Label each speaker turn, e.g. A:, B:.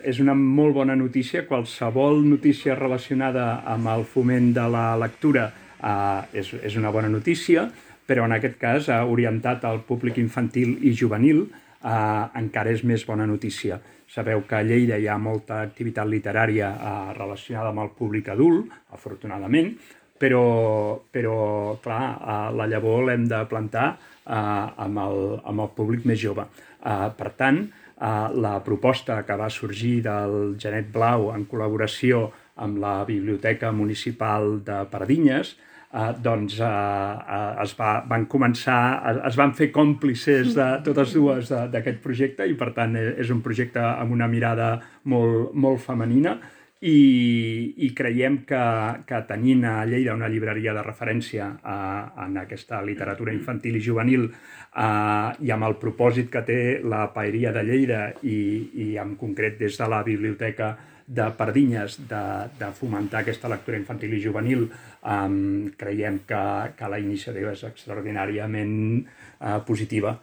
A: És una molt bona notícia. Qualsevol notícia relacionada amb el foment de la lectura és una bona notícia, però en aquest cas orientat al públic infantil i juvenil encara és més bona notícia. Sabeu que a Lleida hi ha molta activitat literària relacionada amb el públic adult, afortunadament, però clar, la llavor l'hem de plantar amb el públic més jove. Per tant, la proposta que va sorgir del Genet Blau en col·laboració amb la Biblioteca Municipal de Pardinyes, doncs es van fer còmplices de totes dues d'aquest projecte i per tant és un projecte amb una mirada molt femenina i creiem que tenint a Lleida una llibreria de referència en aquesta literatura infantil i juvenil i amb el propòsit que té la Paeria de Lleida i en concret des de la Biblioteca de Pardinyes de fomentar aquesta lectura infantil i juvenil, creiem que la iniciativa és extraordinàriament positiva.